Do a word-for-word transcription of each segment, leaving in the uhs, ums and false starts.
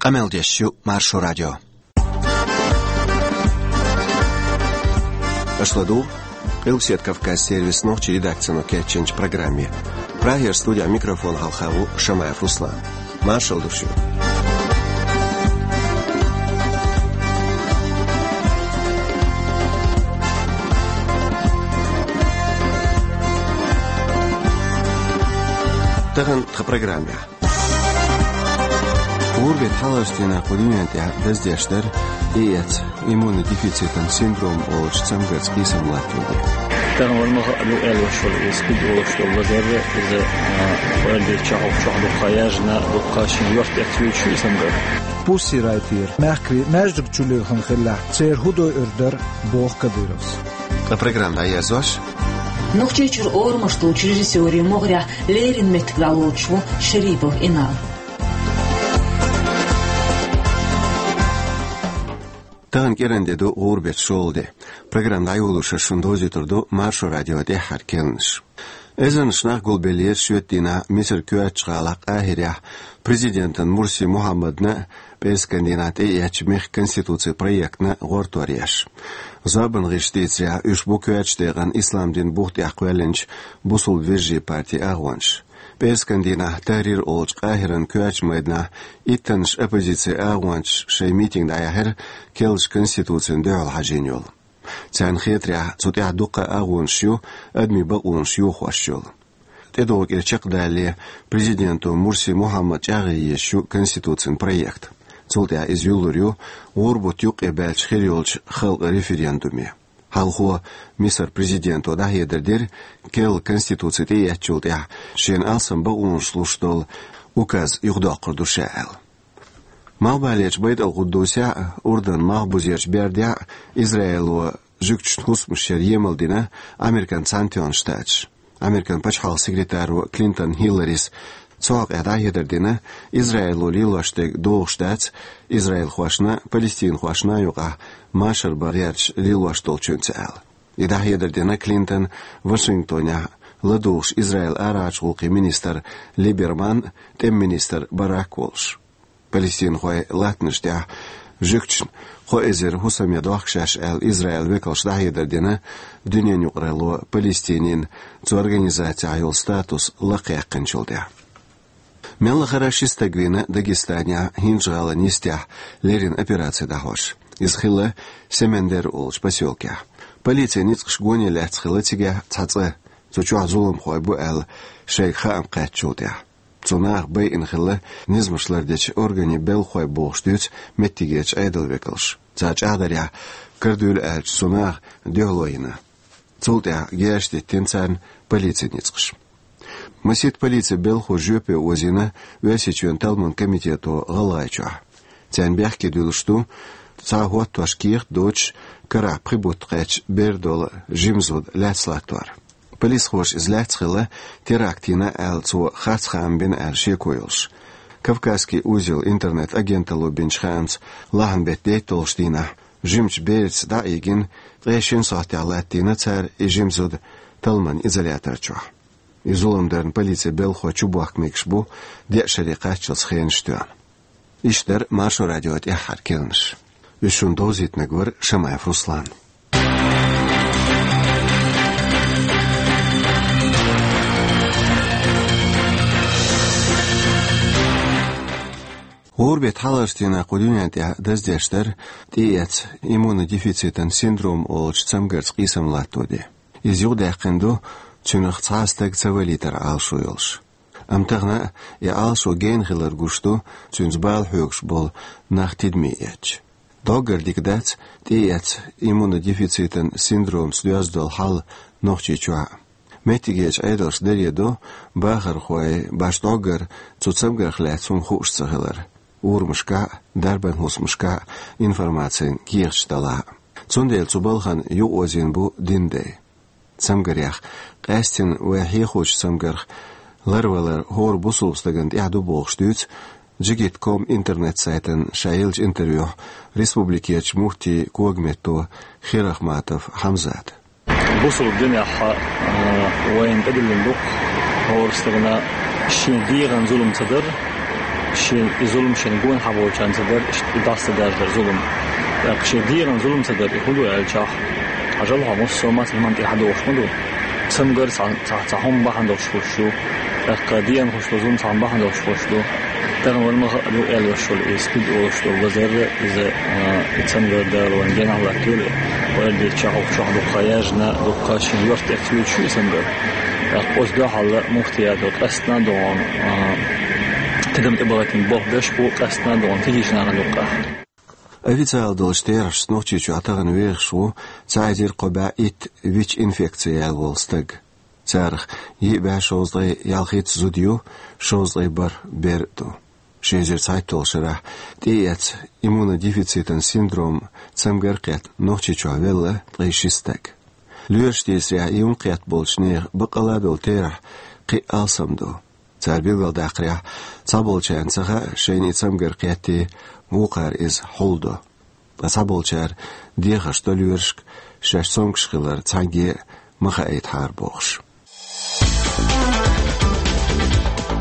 Къамел деш ю Маршо радио. Аша ладугӀу Къилбаседа Кавказ сервисан нохчийн редакцино кечйинчу программе. Прагера студехь микрофон хьалха ву Шамаев Руслан. Маршалла ду шуьга. Тахана тхан программехь. ГӀуран беттан хьалхарчу дийнахь кху дуьнен тӀехь даздеш дара тӀеэцна иммунодефицитан синдром олучу цамгарца къийсам латтор де. Тахана вайна ма хаьа ду аьлла волуш волу иза куьг волуш долу лазар, иза, а, ойла дечохь, чохь дуккха яьржина, дуккха шен йорта тӀе ца юьйцуш ю и цамгар. Пусси райтера мехкарий маьждиг чу лилхина хиллехь, церан хӀун дойур дара, боху Кадыровс. Ткъа программа дӀаерзош. Нохчийчуьра орамаш долчу режиссерийн могӀарехь леррина меттиг дӀалоцуш ву Шарипов Инал. Тахана кӀиран де ду, гӀуран беттан шолгӀа де. Программа дӀайолош аса шуна довзуьйтур ду Маршо радион тӀаьххьара керланаш. Эзарнаш нах гулбеллера шоьтан дийнахь Мисар коьртачу гӀалахь Къахьирехь президентан Мурси Мухьаммадна а, пӀераскан дийнахь тӀеэцначу мехкан конституцин проектна а гӀортор еш. Зорбанан гӀирсаша дийцарехь, уьш бу коьртачу декъана ислам дин бух тӀехь кхоьллинчу бусулба вежарийн партин агӀонаш. ПӀераскан дийнахь Тахьрир олучу Къахьиран коьртачу майданахь иттаннаш оппозицин агӀончаша шайн митинг дӀаяьхьира керлачу конституцина дуьхьал хьажийна йолу. Царна хетарехь, цу тӀехь дуккха а агӀонаш ю адамийн бакъонаш йохош йолу. ТӀедогӀу кӀира чекхдалале, президенто Мурси Мухьаммада чӀагӀъян езаш ю конституцин проект. Цул тӀаьхьа иза юллур ю гӀуран бутт юккъе баьлча хир йолчу халкъан референдуме. Хьалхо Мисар президенто дӀахьедар дира, керла конституци тӀеэцначул тӀаьхьа шена алсам бакъонаш луш долу указ юхадоккхур ду ша аьлла. Малхбалерчу Байтал-Къуддусехь а, Урданан малхбузерчу бердехь а Израило жуьгташна хӀусамаш яр емал дина Американ Цхьаьнатоьхна Штаташа. Американ пачхьалкхан секретаро Клинтон Хилларис цу хьокъехь дӀахьедар дина, Израило лелош дерг догӀуш дац израилхошна а, палестинхошна а юкъахь машар бан гӀерташ лелош долчуьнца аьлла. И дӀахьедар дина Клинтона Вашингтонехь ладугӀуш Израилан арахьарчу гӀуллакхийн министр Либерман а, тӀеман министр Барак а волуш. Палестинхойн латтанаш тӀехь жуьгташна кхо эзар хӀусам ян дохку шаьш аьлла, Израилан векалша дӀахьедар дина дуьненан юкъаралло Палестинин цу организацехь йолу статус лакхъяьккхинчул тӀаьхьа. Мел лахара ши стаг вийна Дагестанехь ХӀинжа-ГӀалин йистехь леррина операци дӀахьош. Иза хилла Семендер олучу посёлкехь. Полицин ницкъаша гоне лаьцна хилла цигахь цхьа цӀа, цу чохь зуламхой бу аьлла, шайга хаам кхаьчначул тӀаьхьа. Цу наха байина хилла низамаш лардечу органийн белхахой бохуш дуьйцу меттигерчу Ӏедалан векалша. Цара чӀагӀдарехь, карадуьйла аьллачу цу наха дуьхьало йина. Цул тӀаьхьа герзаш диттина царна полицин ницкъаша. Масийтта полицин белхахо жоьпе озийна Оьрсийчоьнан талламан комитето ГӀалгӀайчохь. Царна бехке дуьллуш ду цхьа хӀоттош кехат а доцуш, карахь пхи бутт кхаьчна бер долу жима зуда лаьцна латтор. Полисхоша иза лаьцна хилла, теракт йина аьлла, цо харц хаам бина аьлла шеко йолуш. «Кавказский узел» интернет-агенталло бинчу хаамца, лахьан беттан дейтталгӀачу дийнахь жимачу бераца дӀа а йигина, ткъе шина сохьтехь латтийна цара и жима зуда талламан изолятор чохь. И зулам дарна полицин белхахой чубохка мегаш бу, деа шаре кхаччалц хенаш тоьхна. Иштта дара Маршо радион тӀаьххьара керланаш. Уьш шуна довзийтинарг вара Шамаев Руслан. ГӀуран беттан хьалхарчу дийнахь кху дуьнен тӀехь даздеш дара тӀеэцна иммунодефицитан синдром олучу цамгарца къийсам латто де. Иза юхадаьккхина ду, цуьнах цхьа а стаг ца валийтар Ӏалашо йолуш. Амма тахана а и Ӏалашо гена хилар гуш ду, цуьнца бала хьоьгуш болу нах тидаме эцча. ДӀоггара дика дац тӀеэцна иммунодефицитан синдромца доьзна долу хьал Нохчийчохь а. Меттигерчу Ӏедалша даре до бахархой башха дӀоггара цу цамгарх лаьцна хӀума хууш ца хилар, урамашкахь а, дарбан хӀусамашкахь а информацин кехаташ далахь а. Цундела цу балхана юкъаозийна бу динан дай. Цамгарех, къаьстина вай хьехочу цамгарх ларвалар хӀора бусулба стагана тӀехь ду бохуш дуьйцу Джигит ком интернет-сайтана ша еллачу интервьюхь республикерчу муфтийн когаметто Хирахматов Хьамзата. Бусулба динехь, а, вайна тӀедиллина ду-кх хӀора стагана шен дегӀан зулам ца дар, Шен и зулам шен гонахьа болчарна ца дар, иштта и дӀасаца даьржа дар зулам. ТӀаккха шен дегӀан зулам ца дар, и хӀун ду аьлчахь, хьажал хьо, массо а мацахь хӀуманна тӀехьа догӀуш ма ду. Цамгар цхьа, цхьа, цхьа хӀума бахьана долуш хуьлуш ду. ТӀаккха дегӀан хуьлуш долу зулам цхьа хӀума бахьана долуш хуьлуш ду. Тахана вайна ма хаьа ду аьлла йолуш йолу и СПИД олуш долу лазар, иза, а, и цамгар Дала вайна генахь латтайойла. Вай аьлла дийцича, хӀокху чохь дуккха яьржина, дуккха шен йорта тӀе ца юьйцуш ю и цамгар. ТӀаккха оцу дуьхьал муфтиято къаьсттина а догӀу, а, тидам тӀебахийтина болх беш бу, къаьсттина а догӀу тихийчу нахана юккъехь. Официалан долчу терахьашца, Нохчийчохь тахана вехаш ву цхьа эзар кхо бӀе итт ВИЧ-инфекци яьлла волу стаг. Царах йиъ бӀе шовзткъе ялхитта зуда ю, шовзткъе бархӀ бер а ду. Ши эзар цхьайтталгӀачу шарахь тӀеэцна иммунодефицитан синдром цамгар кхетта Нохчийчохь велла ткъе ши стаг. Лоьраш дийцарехь, и юкъ кхетта болчу нехан баккъалла а долу терахь кхин а алсам ду. Цара билгалдаккхарехь, цхьаболчарна ца хаьа шайна и цамгар кхетте, вукхара иза хьулдо. Ткъа цхьаболчара дехарш до лоьрашка, шаьш цомгуш хилар цхьаьнгге а ма хаийтахьара бохуш.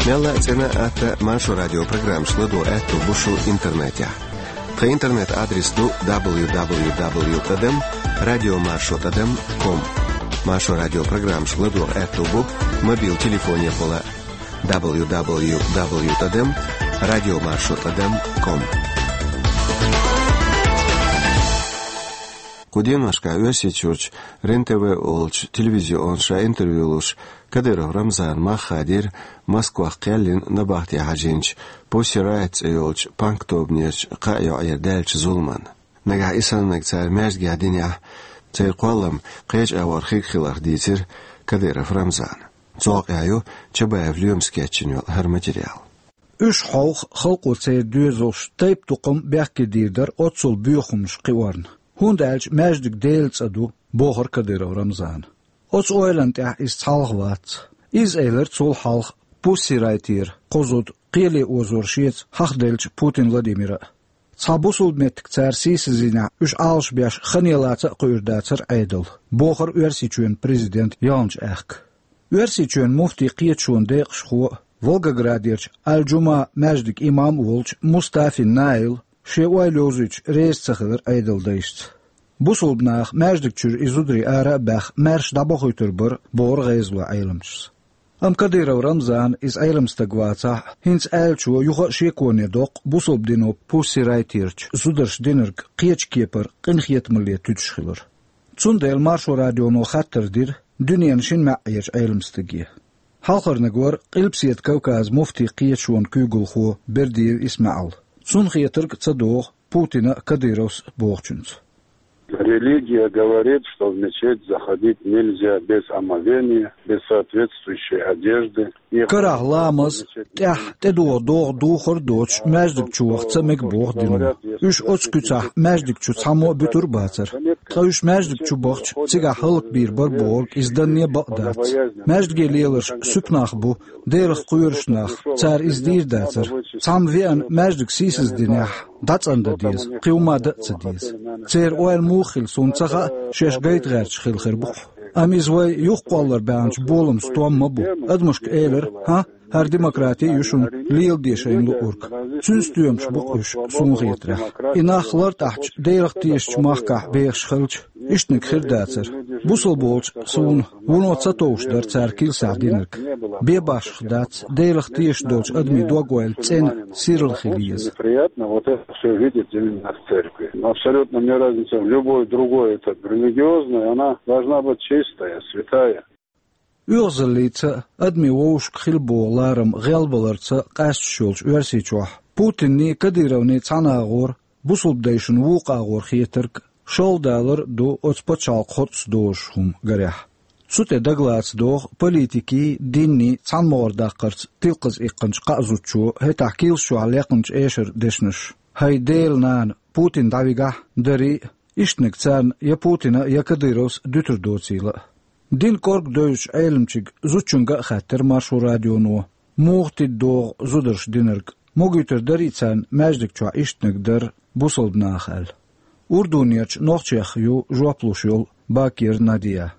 Мелла а цӀена а, атта а Маршо радион программашка ладогӀа аьтто бу шун интернетехь. Тхан интернет-адрес ду дабл ю дабл ю дабл ю тӀадам радиомаршо тӀадам ком. Маршо радион программашка ладогӀа аьтто бу мобил телефонехула дабл ю дабл ю дабл ю тӀадам радиомаршо тӀадам ком. Кху деношкахь Оьрсийчуьрчу Рен-ТВ олучу телевизионо ша интервью луш, Кадыров Рамзана мах хадийра Москвахь кхеллина набахте хьажийначу Pussy Riot цӀе йолчу панк-тобанерчу кхаа йоӀера даьллачу зуламан. Нагахь и саннарг цара маьждигехь динехь, церан кхоллам кхечу агӀор хирг хиларх дийцира Кадыров Рамзана. Цу хьокъехь ю Чабаев Лоьмас кечйина йолу хӀара материал. Уьш хьовха халкъо церан доьзалш тайп-тукхам бехке дийр дара оццул боьха хӀуманаш кхиорна, хӀунда аьлча маьждиг Делан цӀа ду, бохура Кадыров Рамзана. Оцу ойланна тӀехь иза цхьалха вац. Иза элира цул хьалха Pussy Riot-ера кхо зуда кхеле озор шеца хьахаделлачу Путин Владимира а. Цхьа бусулба меттиг цара сийсаздинехь, уьш Ӏалашбеш ханелаца а кхуьур дацара Ӏедал, бохура Оьрсийчоьнан президента яьллачу аьхка. Оьрсийчоьнан муфтийн кхеташонан декъашхо а, Волгоградерчу Аль-Джума маьждиган имам а волчу Мустафин Наила шен ойла йовзуьйтуш реза ца хилира Ӏедалан дайшца. Бусулба наха маьждиг чуьра и зударий ара а баьхна, маьрша дӀабохуьйтур бара, бохура гӀезалойн Ӏеламчаша. Амма Кадыров Рамзана, иза Ӏелам стаг вацахь а, хӀинца аьллачо юха а шеконе доккху бусулба дино Pussy Riot-ерчу зударша динарг кхечу кепара къинхетамалле туьдуш хилар. Цундела Маршо радионо хаттар дира дуьненан шина маьӀӀерчу Ӏелам стаге. Хьалхарниг вара Къилбаседа Кавказан муфтийн кхеташонан куьйгалхо Бердиев ИсмаӀал. Цунна хетарг а ца догӀу Путина а, Кадыровс а бохучуьнца. Религия говорит, что в мечеть заходить нельзя без омовения, без соответствующей одежды. Карахь ламаз, тӀехь тӀедогӀу догӀа духар а доцуш, маьждиг чу ваха ца мега боху дино. Уьш оцу куьцахь маьждиг чу цхьаммо а буьтур а бацара. Ткъа уьш маьждиг чу бахча, цигахь хӀаллакбийр бара бохург иза данне бакъ дац. Маьждиге леларш суьпа нах бу, Делах кхоьруш нах, цара иза дийр дацара. Цхьамма веана маьждиг сийсаздинехь, дӀацӀандан деза, кхин хӀумма дан а ца деза. Церан ойла муха хилла суна ца хаьа, шаьш гайта гӀерташ хилла хир бу-кх. Амма иза вай юхакхоллар баьхначу боламан стом ма бу. Адамашка элира: «ХӀа, хӀара демократи а ю шуна, леладе шайна луург». Цуьнан стоьмаш бу-кх уьш, суна хетарехь. И нах лартӀахьчу, Делах тешачу махкахь бехаш хилча, иштаниг хир дацара. Бусалба волчу суна вуно ца товш дара цара килсахь динарг. Бен башха дац Делах тешаш долчу адамийн дог-ойла цӀена, сирла хила еза. Неприятно вот это всё видеть именно в церкви. Но абсолютно мне разница, в любой другой, это религиозной, она должна быть чистая, святая. ОьгӀазаллица а, адамийн вовшашка хила боху ларам гӀелбаларца а къаьсташ йолчу Оьрсийчохь Путинний, Кадыровний цхьана агӀор, бусалба дайшна вукху агӀор хетарг шолгӀа далар а ду оцу пачхьалкхан хоттаца дозуш хӀума, гарехь. Цу тӀе дагалаца догӀу политикийн, диннийн цхьаьнамогӀара даккхарца тилкъаза иккхинчу кхаа зудчо, хӀетахь килсаш чохь лекхначу эшаран дешнаш: «ХӀай Делан нана, Путин дӀавигахь, дарий а», иштаниг царна я Путина, я Кадыровс дуьтур доцийла а. Динан кӀорга девзачу Ӏеламчуьнга, зудчуьнга а хаьттира Маршо радионо, муха тида догӀу зударша динарг, могуьйтур дарий царна маьждиг чохь иштаниг дар бусалба наха аьлла. Урдунерчу нохчех ю жоп луш йолу Бакир Надия.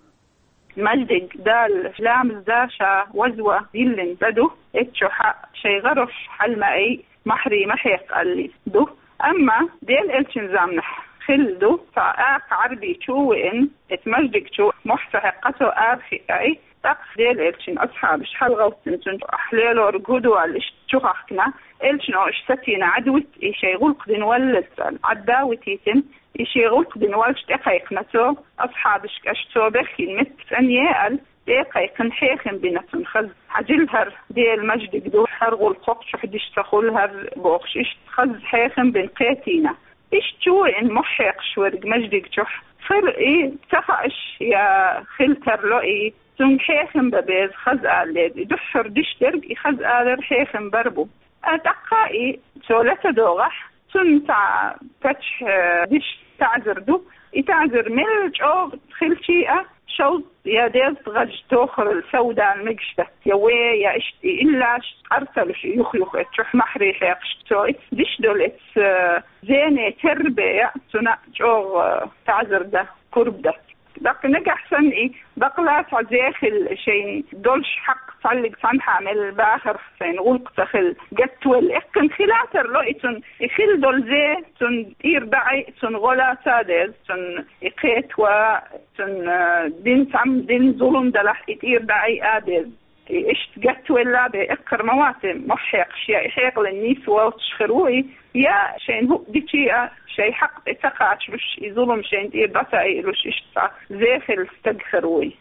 Маьждиг Дала ламаз дан ша вазван диллина цӀа ду, эццахь шайн гӀарош хьала ма айа, махьрий ма хьекха аьлла ду. Амма Делан элчан заманахь хилла ду, цхьа акха Ӏарбий чу а веана, эцу маьждиг чу мохь ца хьекха цо арахиъна, тӀаккха Делан элчан асхьабаш хьалагӀовттина цунна, ахь лелорг хӀун ду аьлла, иштта чу хахкина, элчано уьш сатийна, Ӏадвита, и шайн гӀуллакх дина валлалц аьлла, Ӏадда а витийтина, и шен гӀуллакх дина валлалц тӀекхайкхина цо, асхьабашка, аш цо бехкийна метта цӀена е аьлла, тӀекхайкхина, хьехам бина цунна хаза. Хьажал, хӀара Делан маьждиг ду, хӀара гӀуллакх кху чохь деш ца хуьлу хӀара бохуш, иштта хаза хьехам бина кхетийна. Иштта чу а веана мохь хьекхаш верг маьждиг чохь хир, и ца хаьаш я хила тарло и, цуьнга хьехам бан беза, хаза ала деза. И дуьххьара деш дерг и хаза алар, хьехам бар бу. А тӀаккха и цо лаьцна догӀахь, цунна цхьа паччахь, э, деш таӀзар ду. И таӀзар мел чӀогӀа хилча а, шовзткъа я дезткъа гӀаж тохарал совдала мегаш дац, я вен, я иштта и иллаш къар ца луш, и юх-юха эцу чохь махьрий хьекхаш цо и деш долу эцу, э, зене терра бен, я цунна чӀогӀа, э, таӀзар дан пурба дац. ТӀаккха нагахь санна и бакъ лаца цхьа зе хилла, шайна долуш хьакъ цхьаллиг цхьанхьа мел бахарх сайна гӀуллакх ца хилла, гатвелла, эккхина хила тарло и цунна, и хила долу зе цунна тӀера дӀаайъа, цунна гӀо лаца а деза, цунна и кхетаван, цунна, э, дина цхьамма дина зулам далахь, и тӀера дӀаайъа а деза. И иштта гатвелла бен эккхар ма вац и мохь хьекхаш, я и хьекъалан нийса воцуш хир ву и, я шайна хӀуъа дича а, шайн хьакъ тӀе ца кхачалуш, и зулам шайна тӀера дӀа ца айалуш, иштта цхьа зе хилла стаг хир ву и.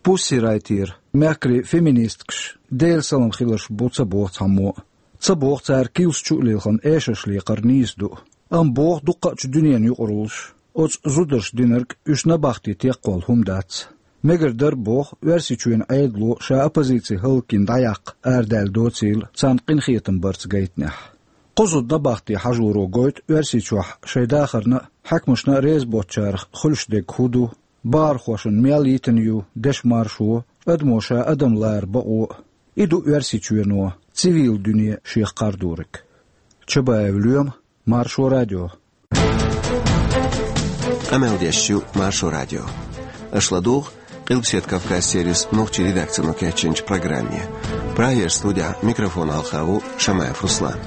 Пусси Райтера, мехкарий феминисткаш, Делан салам хиларш бу ца боху цхьаммо а. Ца боху цара килс чу а лилхина эшарш лекхар нийса ду. Амма боху дуккхачу дуьненан юкъараллаш, оцу зударша динарг уьш набахти текхвала хӀума дац. Мегар дара, боху, Оьрсийчоьнан Ӏедало ша оппозици хӀаллакйина дӀаяккха арадаьлла доцийла царна къинхетам барца гайтинехь. Кху зуда набахти хьажоро гойту Оьрсийчохь шайн дахарна а, хьаькамашна а реза боцучарах хуьлуш дерг хӀун ду, бахархошна мел йитина ю дешан маршо, адамо ша адам лара бакъо а. И ду Оьрсийчоьно цивил дуьне шех кхардориг. Чабаев Лоьма, Маршо радио. Къамел деш ю Маршо радио. Аша ладугӀу Къилбаседа Кавказ сервисан нохчийн редакцино кечйинчу программе. Прагера студехь микрофон хьалха ву Шамаев Руслан.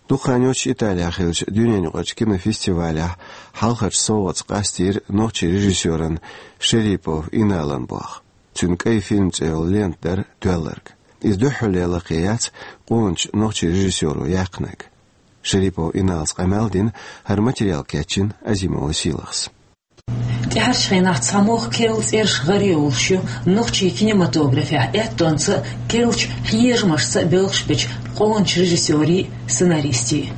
Дукха хан йоццуш Италехь хиллачу дуьненаюкъарчу кинофестивалехь хьалхарчу совгӀатца къастийра нохчийн режиссёран Шерипов Иналан болх. Цуьнан «КӀай фильм» цӀе йолу лента дара тоьлларг. Иза дуьххьарлера лакхе яц къоначу нохчийн режиссёро яьккхинарг. Шерипов Иналас къамел дина, хӀара материал кечйина Азимова Сийлахьас. ТӀаьхьарчу хенахь цхьа могӀа керла цӀераш гӀаре йолуш ю нохчийн кинематографехь, аьттонца а, керлачу хьежамашца а белхаш бечу къоначу режиссёрийн а, сценаристийн а.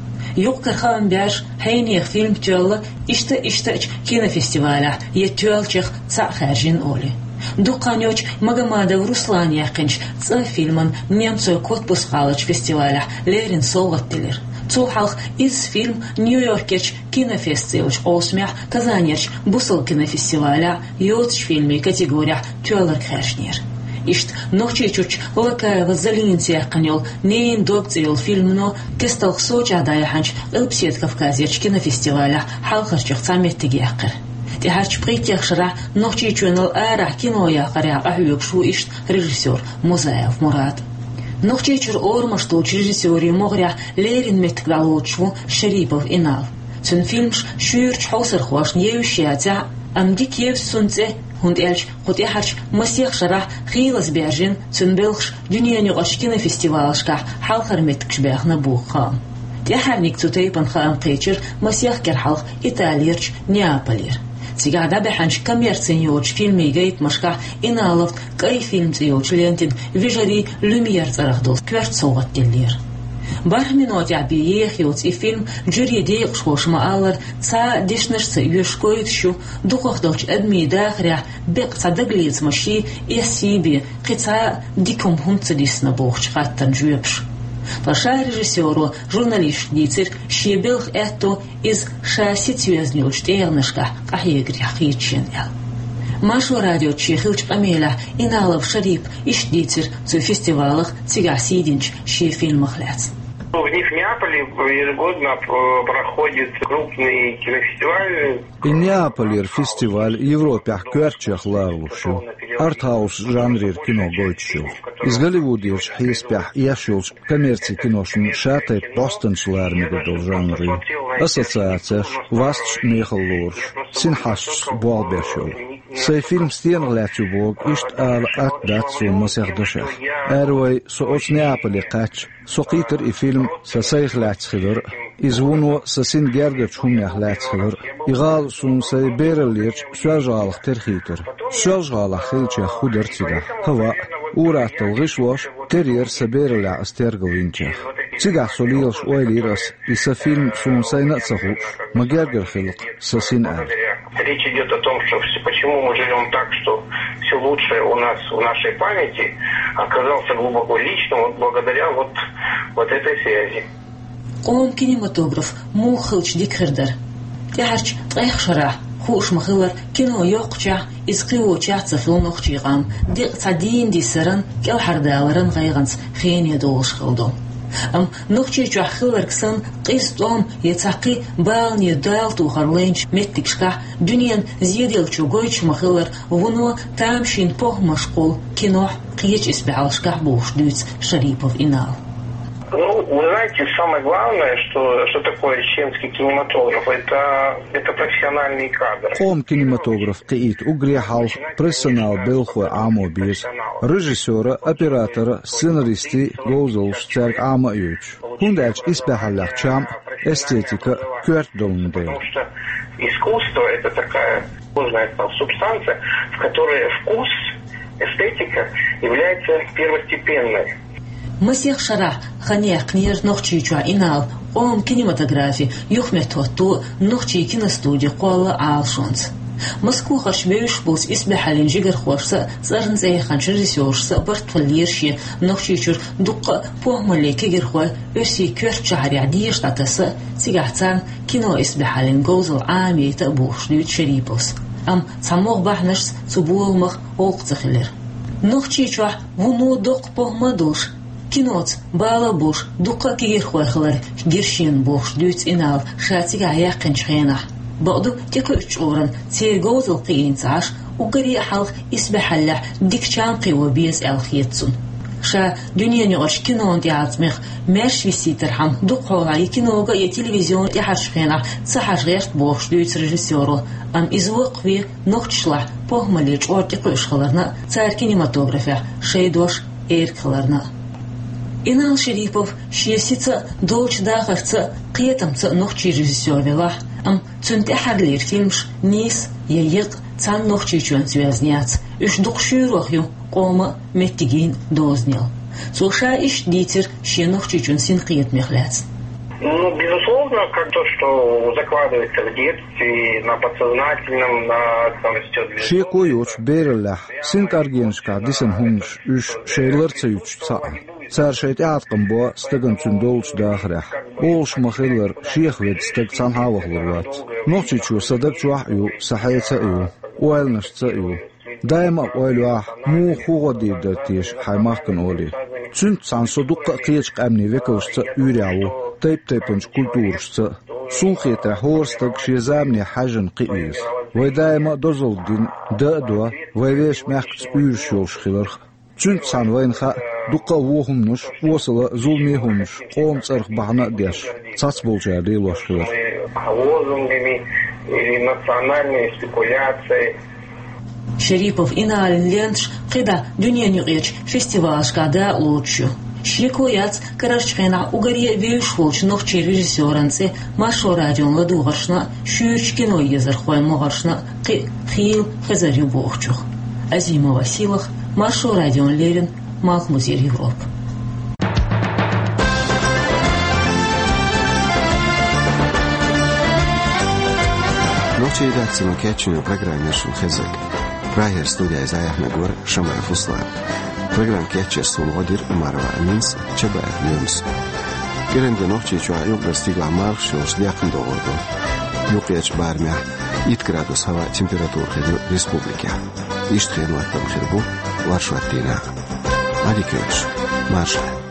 Юкъ-кара хаам баьржа, хьенехан фильм тоьлла иштта-иштачу кинофестивалехь я тоьллачех цхьаъ хаьржина олий. Дукха хан йоццуш Магомадов Руслана яьккхинчу «ЦӀа» фильмана Немцойн Коттбус-гӀаларчу фестивалехь леррина совгӀат делира. Цул хьалха изза фильм Нью-Йоркерчу Кинофест цӀе йолчу къовсамехь, Казанерчу бусалба кинофестивалехь йоцачу фильмийн категорехь тоьлларг хаьржинера. Иштта Нохчийчуьрчу Лакаева Залинаца яьккхина йолу «Ненан дог» цӀе йолу фильмано кестта Сочехь дӀаяьхьначу Къилбаседа Кавказерчу кинофестивалехь хьалхарчех цхьа меттиг яьккхира. ТӀаьхьарчу пхийтта шарахь Нохчийчоьнал арахь кино яккхарехь къахьоьгуш ву иштта режиссёр Музаев Мурад. Нохчийчуьра орамаш долчу режиссёрийн могӀарехь леррина меттиг дӀалоцуш ву Шерипов Инал. Цуьнан фильмаш шуьйрачу хьовсархошна евзаш яцахь а, амма дика евза цуьнан цӀе, хӀунда аьлча кху тӀаьхьарчу масех шарахь хийлаза баьржина цуьнан белхаш дуьненаюкъарчу кинофестивалашкахь хьалхара меттигаш баьхна боху хаам. ТӀаьхьарниг цу тайпана хаам кхечира масех кӀира хьалха Италерчу Неаполера. Цигахь дӀабаьхьначу коммерцина йоцучу фильмийн гайтамашкахь Иналовна «КӀай фильм» цӀе йолчу лентина вежарий Люмьер цӀарах долу коьрта совгӀат деллера. БархӀ минотехь бен еха йоцу и фильм, жюрин декъашхоша ма-аллара, цхьа а дешнашца йоьшуш гойтуш ю дукхахдолчу адамийн дахарехь беккъа цхьа дагалецамаш, эс йий бен, кхин цхьа а дика хӀума хӀунда ца дисна бохучу хаттарна жоьпаш. Ткъа ша режиссёро журналисташка дийцира шен белхан аьтто иза ша сица йоьзна йолчу тӀегӀанашкахь къахьегарехь хеташ ян аьлла. Маршо радиоца шен хиллачу къамелехь Иналов Шерипа иштта дийцира цу фестивалах, цигахь сий динчу шен фильмах лаьцна. В них в Неаполе ежегодно, э, проходит крупный кинофестиваль. И Неаполера фестиваль Европехь коьртачех ларалуш ю. артхаус жанрера кино гойтуш йолу. Иза Голливудерчу хьесапехь еш йолчу коммерцин киношна шатайпа бӀостанчалла мегар долу жанр ю. Ассоциацеш, васташ мехала лоруш, синхьашташ болх беш йолу. Сайн фильм стенах лаьцна ю боху, иштта ала атта дац суна масех дашех. Ара вай, со оцу Неаполе кхаьчча, со кхийтира и фильм сан сайх лаьцна хилар а, иза вуно сан син гергарчу хӀуманех лаьцна хилар а. И гӀала суна сайн бераллерчу Соьлжа-ГӀалах тера хийтира. Соьлжа-ГӀалахь хилчех хӀун дара цигахь? ХӀаваъ, ур-атталла гӀишлош, тера яра сан бераллехь ас тергал йинчех. Цигахь со лелаш ойла йира ас, и сан фильм суна сайна а ца хууш, ма гергара хилла-кх сан син аьлла. Речь идёт о том, что всё, почему мы живём так, что всё лучшее у нас в нашей памяти оказался глубоко личным, вот благодаря вот, вот этой связи. Къоман кинематограф муха хилча дика хир дара? ТӀаьхьарчу ткъех шарахь, хууш ма-хиллара, кино йоккхучехь, иза кхиочехь ца хилла нохчийн къам, декъа цхьа дийна диссаран, кӀелхьардаларан гӀайгӀанца хене долуш хилла ду. Амма Нохчийчохь хилларг санна, къиза тӀом я цхьа кхин балане дала тухар лайначу меттигашкахь, дуьненан зеделлачо гойтуш ма-хиллара, вуно тамашийна похӀмаш кхуллу кинохь, кхечу исбаьхьаллашкахь бохуш дуьйцу Шарипов Инала. Ну, вы знаете, самое главное, что, что такое чеченский кинематограф, это, это профессиональные кадры. Къоман кинематограф кхиийта уггаре хьалха профессионал белхалой Ӏамо беза. Режиссёра, оператора, сценаристий, говзаллаш цаьрга Ӏама а йойтуш. ХӀунда аьлча исбаьхьаллех чам а, эстетика а коьрта долун дела. Потому что искусство — это такая сложная субстанция, в которой вкус, эстетика является первостепенной. Масех шарахь хан яьккхинера Нохчийчохь Инала къоман кинематографин юхаметтахӀотто а, нохчийн киностуди кхолла а Ӏалашонца. Москвахь бевзаш болчу исбаьхьаллин жигархошца а, цӀарна цӀе яханчу режиссёршца а барт хиллера шен Нохчийчуьра дуккха а похӀмаллин кегийрхой Оьрсийн коьртачу шахьарехь деша дӀатаса а, цигахь царна кино исбаьхьаллин говзалла Ӏамийта а бохуш дуьйцу Шариповс. Амма цхьа могӀа бахьанашца цу боламах гӀуллакх ца хилира. Нохчийчохь вуно доккха похӀма а долуш, киноца бала а болуш, дуккха а кегийрхой хилар гира шена бохуш дуьйцу Инала ша цигахь яьккхинчу хенахь. Бакъду, тӀекхуьучу чкъурана церан говзалла кхиийна ца Ӏаш, уггаре а хьалха исбаьхьаллехь дика чам кхио беза аьлла хета цунна. Ша дуьненан юкъарчу кинон тӀеӀаткъамех маьрша висийтархьама, дукхахьолахь я кинога, я телевизионе тӀаьхьарчу хенахь ца хьажа гӀерта бохуш дуьйцу режиссёро, амма иза воккхаве нохчашлахь похӀмаллин чкъор тӀекхуьуш хиларна а, цара кинематографехь шайн дош эрга хиларна а. Инал Шарипов шен сица а, долчу дахарца а, кхетамца а нохчийн режиссёр велахь а, амма цуьнан тӀаьххьарлера фильмаш нийса я екъа цхьана Нохчийчоьнца йоьзна яц, уьш дукха шуьйрах ю къоман а, меттигийн а дозанел. Цо ша иштта дийцира шен Нохчийчун синкхетамех лаьцна. Ну, безусловно, как то, что закладывается в детстве, на подсознательном, на, там, растёт. Шеко йоцуш бераллехь синкъаргенашкахь дисина хӀуманаш, уьш шайн лар ца юьтуш цхьаъ. Цара шайн тӀеӀаткъам бо стагана цуьнан долчу дахарехь. Олуш ма-хиллара, шех ведда стаг цхьанхьа а вахалур вац. Нохчийчоь сан даг чохь а ю, сан хьеца а ю, ойланашца а ю. Даима а ойла йо ахь, муха, хӀун гӀо дийр дара теша хьайн махкана олий. Цуьнца цхьаьна со дуккха а кхечу къаьмнийн векалшца а уьйрехь ву, тайп-тайпанчу культурашца а. Суна хетарехь, хӀора стага шен замане хьаьжжина кхио иза. Вай даима а дозалла дина, дан а до, вай вешан мехкаца уьйраш йолуш хиларх. Цуьнца цхьаьна вайна хаьа дуккха а вон хӀуманаш, осала а, зуламе а хӀуманаш, къоман цӀарах бахьана а деш, цхьацболчара лелош хилар. Лозунгами или национальной спекуляцией. Шарипов Иналин ленташ кхидӀа дуьненан юкъерчу фестивалашкахь дакъалоцуш ю. Шеко яц, карарчу хенахь уггаре а вевзаш волчу нохчийн режиссёран цӀе Маршо радион ладогӀаршна а, шуьйрачу киноезархойн могӀаршна а кхин а хийла хезар ю бохучух. Азимова Силах, Маршо радиона леррина, Малхбузера Европа. Нохчийн редакцино кечйина программа яра шуна хезарг. Прагера студехь иза яьхьнарг вара Шамаев Руслан. Программа кечъеш суна гӀо дира Умарова Аминас, Чабаев Лемас. КӀиранде Нохчийчохь юкъара стигалахь мархаш йолуш даьккхина догӀур ду юккъерчу барамехь. Итт градус хӀаваан температура хир ю республикехь. Иштта хенан хӀоттам хир бу оршот дийнахь. Ӏадика йойла шун, марша Ӏойла.